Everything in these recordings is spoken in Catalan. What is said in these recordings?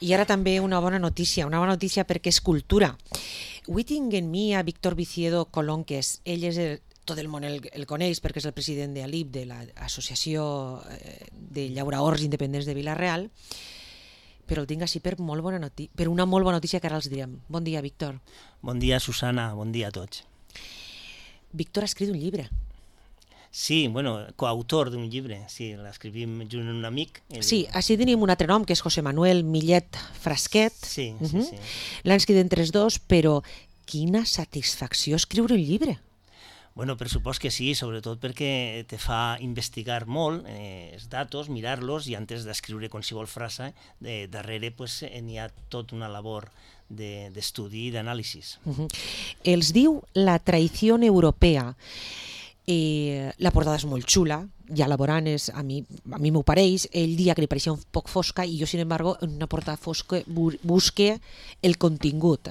I ara també una bona notícia perquè és cultura. Avui tinc en mi a Víctor Viciedo Colonques. Ell és tot el món el coneix perquè és el president de l'ALIP, de l'Associació de Llauraors Independents de Vila-real, però el tinc així per una molt bona notícia que ara els direm. Bon dia, Víctor. Bon dia, Susana, bon dia a tots. Víctor ha escrit un llibre. Sí, bueno, coautor d'un llibre, sí, l'escrivim junt amb un amic. Sí, així tenim un altre nom, que és José Manuel Millet Frasquet. Sí. L'han escrit entre els dos, però quina satisfacció escriure un llibre. Bueno, per supost que sí, sobretot perquè te fa investigar molt els datos, mirar-los, i antes d'escriure qualsevol frase, darrere n'hi ha tota una labor d'estudi i d'anàlisi. Els diu La traició europea. La portada és molt xula, ja la veuran, a mi m'ho pareix. Ell dia que li pareixia un poc fosca i jo, sin embargo, en una portada fosca busque el contingut,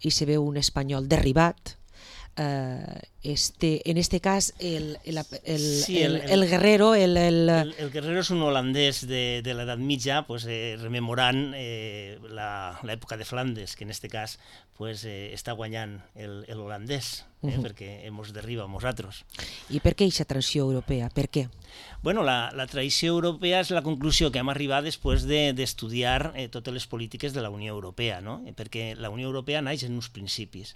i se veu un espanyol derribat. En este cas el guerrero el guerrero és un holandès de l'edat mitja, rememorant l'època de Flandes, que en este cas està guanyant l'holandès, perquè ens derriba a nosaltres. I per què aquesta transició europea? Per què? Bueno, la tradició europea és la conclusió que hem arribat després d'estudiar totes les polítiques de la Unió Europea, no? Perquè la Unió Europea naix en uns principis.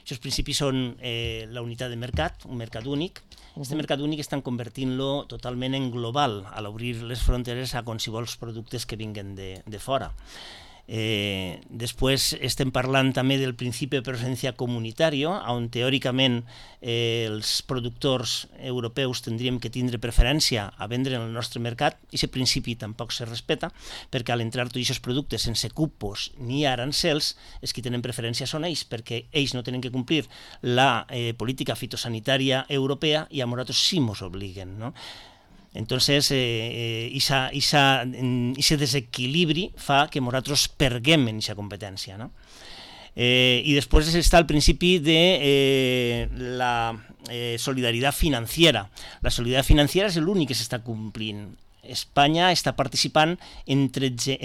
Aquests principis són la unitat de mercat, un mercat únic. Aquest mercat únic estan convertint-lo totalment en global a l'obrir les fronteres a qualsevol productes que vinguen de fora. Després estem parlant també del principi de preferència comunitària, on teòricament els productors europeus tindríem que tindre preferència a vendre en el nostre mercat, i aquest principi tampoc se respecta, perquè al entrar tots aquests productes sense cupos ni arancels, els que tenen preferència són ells, perquè ells no tenen que complir la política fitosanitària europea i a nosaltres sí ens obliguen, no? Entonces, ese desequilibri fa que nosaltres perguem en aquesta competència, no? I després està el principi de la solidaritat financiera. La solidaritat financiera és l'únic que s'està complint. Espanya està participant en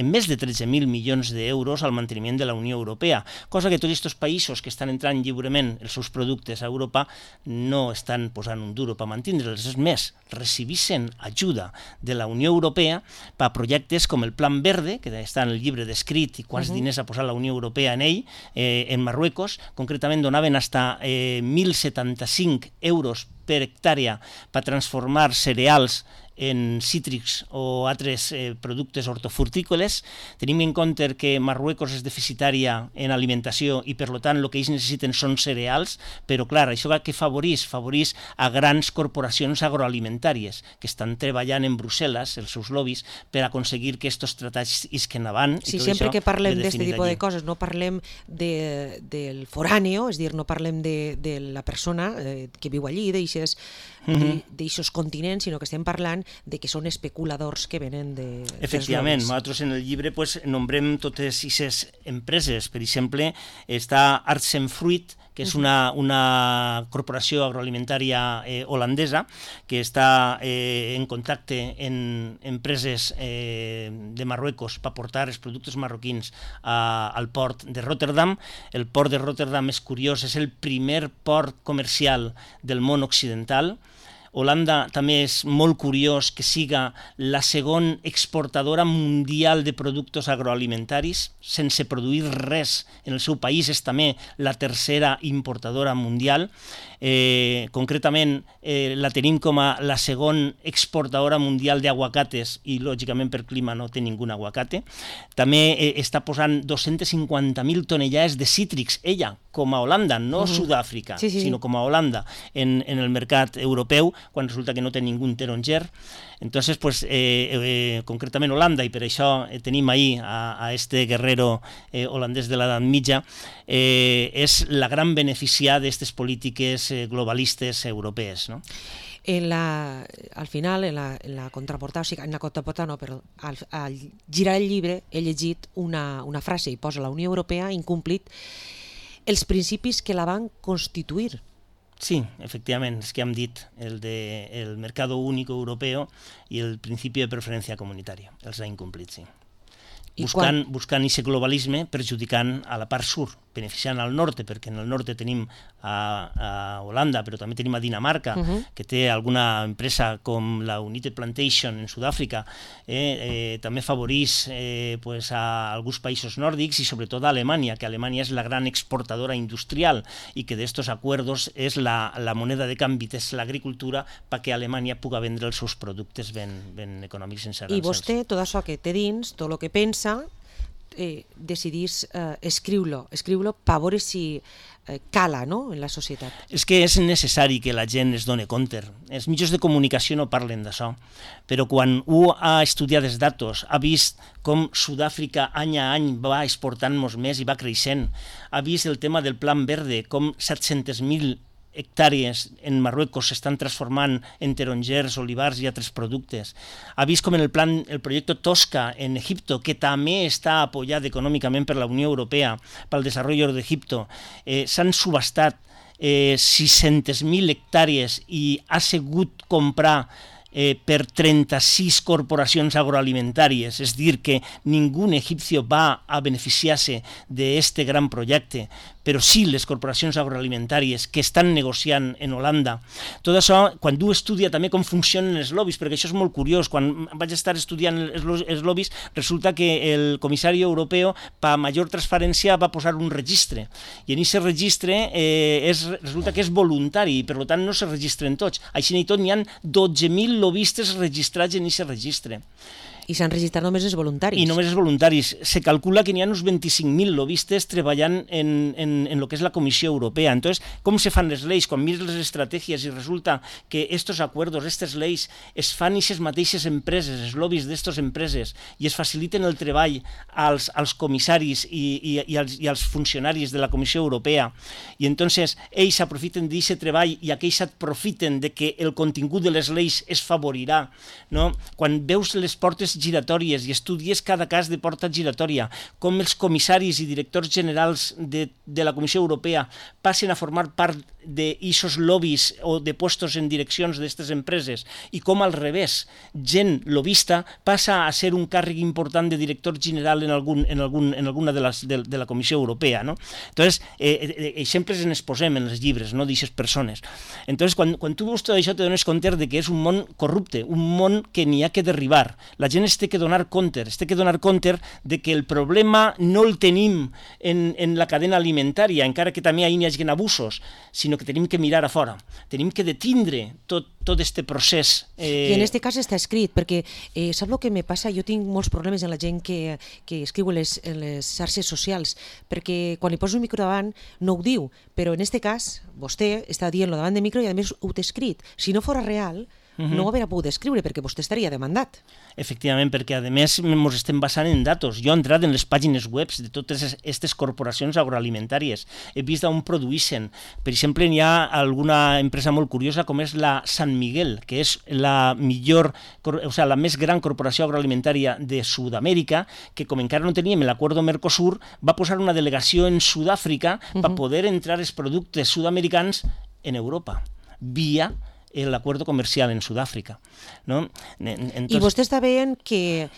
més de 13.000 milions d'euros al manteniment de la Unió Europea, cosa que tots aquests països que estan entrant lliurement els seus productes a Europa no estan posant un duro per mantindre'ls. És més, recibissin ajuda de la Unió Europea per a projectes com el Plan Verde, que està en el llibre descrit i quants diners ha posat la Unió Europea en ell, en Marruecos. Concretament donaven fins a 1.075 euros per hectàrea per transformar cereals en cítrics o altres productes hortofrutícoles. Tenim en compte que Marruecos és deficitària en alimentació i per tant el que ells necessiten són cereals, però clar, això que favoreix a grans corporacions agroalimentàries que estan treballant en Brussel·les, els seus lobbies, per aconseguir que aquests tractats isquen avant. Sí, sempre que parlem d'aquest tipus de coses no parlem del foráneo, és a dir, no parlem de la persona que viu allí, d'aixos continents, sinó que estem parlant de que són especuladors que venen de... Efectivament, nosaltres en el llibre nombrem totes aquestes empreses. Per exemple, està Arts en Fruit, que és una corporació agroalimentària holandesa que està en contacte amb empreses de Marruecos per portar els productes marroquins al port de Rotterdam. El port de Rotterdam és curiós, és el primer port comercial del món occidental. Holanda també és molt curiós que siga la segona exportadora mundial de productes agroalimentaris, sense produir res en el seu país, és també la tercera importadora mundial. Concretament la tenim com a la segona exportadora mundial d'aguacates i lògicament per clima no té ningú aguacate. També està posant 250.000 tonellades de cítrics, ella, com a Holanda, no Sud-àfrica, sinó com a Holanda, en el mercat europeu, quan resulta que no té ningú taronger. Entonces, concretament Holanda, i per això tenim ahí a este guerrero holandès de l'edat mitja, és la gran beneficiada d'aquestes polítiques globalistes europees, no? Al final, en la contraportada, o sigui, en la contraportada no, però al girar el llibre he llegit una frase i posa la Unió Europea incomplit els principis que la van constituir. Sí, efectivament, és que hem dit el mercado único europeo i el principi de preferència comunitària, els ha incomplit, sí. buscant aquest globalisme, perjudicant a la part sud, beneficiant al nord, perquè en el nord tenim a Holanda, però també tenim a Dinamarca, que té alguna empresa com la United Plantation en Sud-àfrica, també afavoreix a alguns països nòrdics i sobretot a Alemanya, que Alemanya és la gran exportadora industrial i que d'estos acuerdos és la moneda de canvi, és l'agricultura perquè Alemanya pugui vendre els seus productes ben econòmics sense arancels. I vostè, tot això que té dins, tot el que pensa, decidís escriure-lo per veure si cala, no?, en la societat. És que és necessari que la gent es doni compte. Els mitjans de comunicació no parlen d'això, però quan un ha estudiat els datos, ha vist com Sud-àfrica any a any va exportant molts més i va creixent, ha vist el tema del Plan Verde, com 700.000 hectàrees en Marruecos s'estan transformant en tarongers, olivars i altres productes. Ha vist com en el projecte Tosca en Egipto, que també està apoyat econòmicament per la Unió Europea pel desenvolupament d'Egipto, s'han subhastat 600.000 hectàrees i ha sigut comprar per 36 corporacions agroalimentàries, és dir, que ningú egipcio va a beneficiar-se d'aquest gran projecte, però sí les corporacions agroalimentàries que estan negociant en Holanda. Tot això, quan tu estudia també com funcionen els lobbies, perquè això és molt curiós, quan vaig estar estudiant els lobbies, resulta que el comissari europeu, per major transparència, va posar un registre, i en aquest registre resulta que és voluntari, i per tant no se registren tots. Així i tot n'hi ha 12.000 lobistes registrats en aquest registre. I s'han registrat només els voluntaris. I només els voluntaris. Se calcula que n'hi ha uns 25.000 lobistes treballant en el que és la Comissió Europea. Entonces, com se fan les lleis? Quan mires les estratègies i resulta que estos acuerdos, aquestes lleis, es fan aquestes mateixes empreses, els lobbies d'estes empreses, i es faciliten el treball als comissaris i als funcionaris de la Comissió Europea. I entonces ells aprofiten d'aquest treball i aquells aprofiten de que el contingut de les lleis es favorirà. No? Quan veus les portes giratòries i estudies cada cas de porta giratòria, com els comissaris i directors generals de la Comissió Europea passen a formar part d'aquests lobbies o de puestos en direccions d'aquestes empreses, i com al revés, gent lobista passa a ser un càrrec important de director general en alguna de la Comissió Europea. No? Entonces, exemples en exposem en els llibres, no, d'aquestes persones. Entonces, quan tu veus tot això, te dones compte de que és un món corrupte, un món que n'hi ha que derribar. La gent es té que donar compte de que el problema no el tenim en la cadena alimentària, encara que també hi hagi abusos, sinó que tenim que mirar a fora, tenim que detindre tot aquest procés. I en aquest cas està escrit, perquè sap el que me passa? Jo tinc molts problemes amb la gent que escriu en les xarxes socials, perquè quan li poso un micro davant no ho diu, però en aquest cas vostè està dient-lo davant de micro i a més ho té escrit. Si no fos real, no ho hauria pogut escriure perquè vostè estaria demandat. Efectivament, perquè a més ens estem basant en datos. Jo he entrat en les pàgines web de totes aquestes corporacions agroalimentàries, he vist on produeixen. Per exemple, hi ha alguna empresa molt curiosa com és la San Miguel, que és la més gran corporació agroalimentària de Sud-amèrica, que com encara no teníem l'acord Mercosur, va posar una delegació en Sud-àfrica per poder entrar els productes sud-americans en Europa, via l'acord comercial en Sud-àfrica. No? I vostè està veient que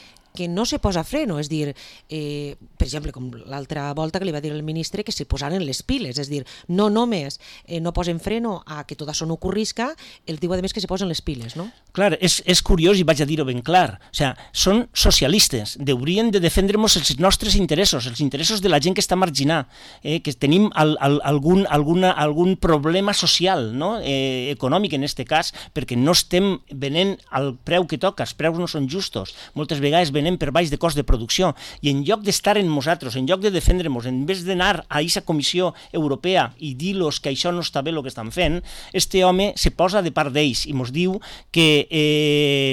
no se posa freno, és dir, per exemple, com l'altra volta que li va dir el ministre que se posaren les piles, és dir, no només no posen freno a que tot això no ocorrisca, el diu a més que se posen les piles, no? Clar, és curiós i vaig a dir-ho ben clar, o sigui, són socialistes, haurien de defendre-nos els nostres interessos, els interessos de la gent que està marginada, que tenim algun problema social, no? Econòmic en aquest cas, perquè no estem venent al preu que toca, els preus no són justos, moltes vegades venem per baix de cost de producció, i en lloc d'estar en nosaltres, en lloc de defendre-nos, en vez d'anar a aquesta Comissió Europea i dir-los que això no està bé el que estan fent, este home se posa de part d'ells i ens diu que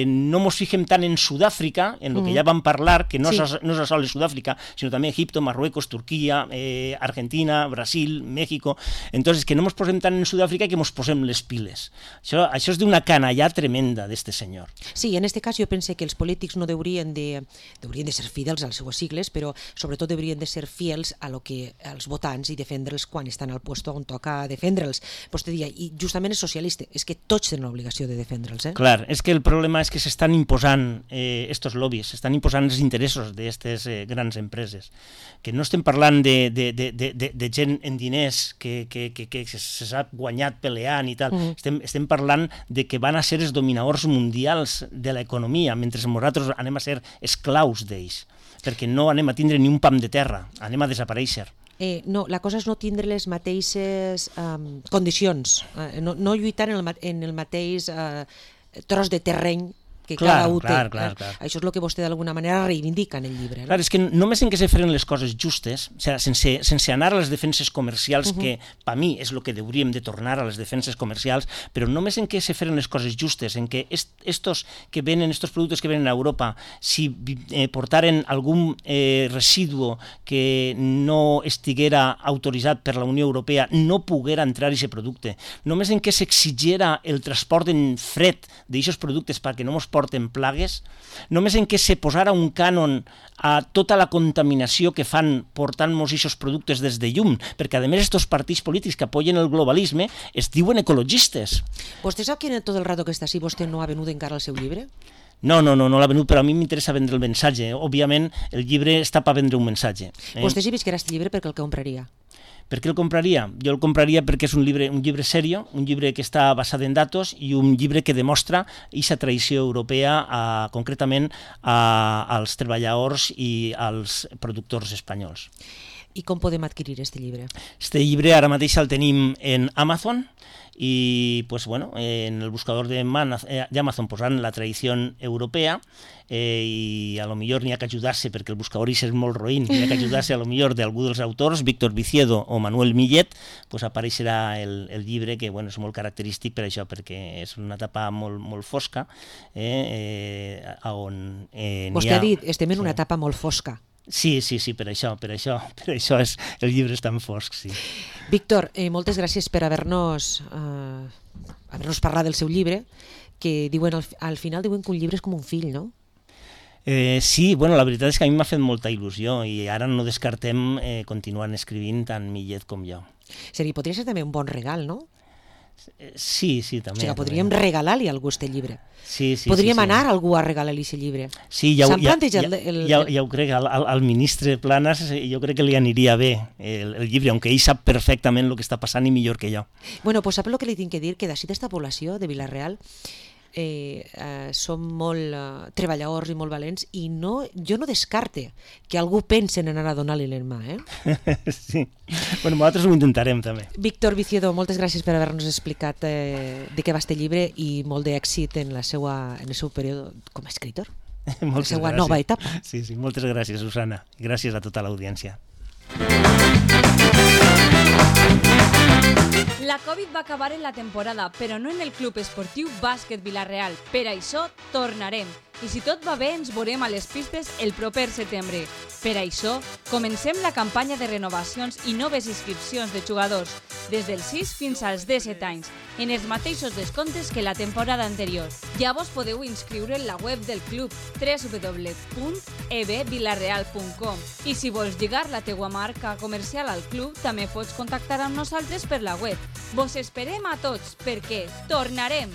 no ens fixem tant en Sud-àfrica, en el que ja vam parlar, que no és sols Sud-àfrica, sinó també Egipto, Marruecos, Turquia, Argentina, Brasil, México. Entonces, que no ens posem tant en Sud-àfrica que ens posem les piles. Això és d'una canallà tremenda d'este senyor. Sí, en aquest cas jo pense que els polítics no haurien de haurien de ser fidels a les seues sigles, però sobretot haurien de ser fiels a lo que als votants i defendre'ls quan estan al puesto on toca defendre'ls. Vostè deia, i justament és socialista, és que tots tenen l'obligació de defendre'ls. Clar, és que el problema és que s'estan imposant estos lobbies, s'estan imposant els interessos d'aquestes grans empreses, que no estem parlant de gent en diners que se s'ha guanyat peleant i tal, estem parlant de que van a ser els dominadors mundials de l'economia, mentre nosaltres anem a ser esclaus d'ells, perquè no anem a tindre ni un pam de terra, anem a desaparèixer. No, la cosa és no tindre les mateixes condicions, no lluitar en el mateix tros de terreny que cada un té. Clar. Això és el que vostè d'alguna manera reivindica en el llibre. Clar, és que només en què se feren les coses justes, o sigui, sense anar a les defenses comercials, que per mi és el que hauríem de tornar a les defenses comercials, però només en què se feren les coses justes, en què estos productes que venen a Europa, si portaren algun residu que no estiguera autoritzat per la Unió Europea, no poguera entrar aquest producte. Només en què s'exigiera el transport en fred d'aquests productes perquè no ens porten plagues, només en què se posara un cànon a tota la contaminació que fan portant-nos aquests productes des de llum, perquè a més aquests partits polítics que apoyen el globalisme es diuen ecologistes. Vostè sap que en tot el rato que està així vostè no ha venut encara el seu llibre? No l'ha venut, però a mi m'interessa vendre el missatge. Òbviament, el llibre està per vendre un missatge. Vostè si visquera aquest llibre per què el compraria? Per què el compraria? Jo el compraria perquè és un llibre serio, un llibre que està basat en datos i un llibre que demostra aquesta tradició europea, concretament als treballadors i als productors espanyols. I com podem adquirir aquest llibre? Este llibre ara mateix el tenim en Amazon i en el buscador d'Amazon posant la tradició europea i a lo millor n'hi ha que ajudar-se perquè el buscador és molt roïn, n'hi ha que ajudar-se a lo millor d'algú dels autors, Víctor Viciedo o Manuel Millet, apareixerà el llibre que és molt característic per això, perquè és una etapa molt fosca on Vostè ha dit, estem en una etapa molt fosca. Sí, per això el llibre és tan fosc, sí. Víctor, moltes gràcies per haver-nos parlat del seu llibre, que diuen al final diuen que un llibre és com un fill, no? Sí, la veritat és que a mi m'ha fet molta il·lusió i ara no descartem continuar escrivint tant Millet com jo. Podria ser també un bon regal, no? Sí, també. O sigui, podríem regalar-li a algú aquest llibre. Sí. Podríem anar a algú a regalar-li aquest llibre. Sí, ja ho crec, al ministre Planas jo crec que li aniria bé el llibre, aunque ell sap perfectament el que està passant i millor que jo. Bueno, pues sap el que li tinc que dir? Que d'ací d'esta població de Vila-real som molt treballadors i molt valents i jo no descarte que algú pense en anar a donar-li l'enmà. Sí, nosaltres ho intentarem també. Víctor Viciedo, moltes gràcies per haver-nos explicat de què va este llibre i molt d'èxit en el seu període com a escritor, en la seva nova etapa. Sí, moltes gràcies, Susana. Gràcies a tota l'audiència. La Covid va acabar en la temporada, però no en el Club Esportiu Bàsquet Vila-real. Per això tornarem. I si tot va bé, ens veurem a les pistes el proper setembre. Per això, comencem la campanya de renovacions i noves inscripcions de jugadors, des dels 6 fins als 17 anys, en els mateixos descomptes que la temporada anterior. Ja vos podeu inscriure en la web del club www.ebvilareal.com i si vols lligar la teua marca comercial al club, també pots contactar amb nosaltres per la web. Vos esperem a tots, perquè tornarem!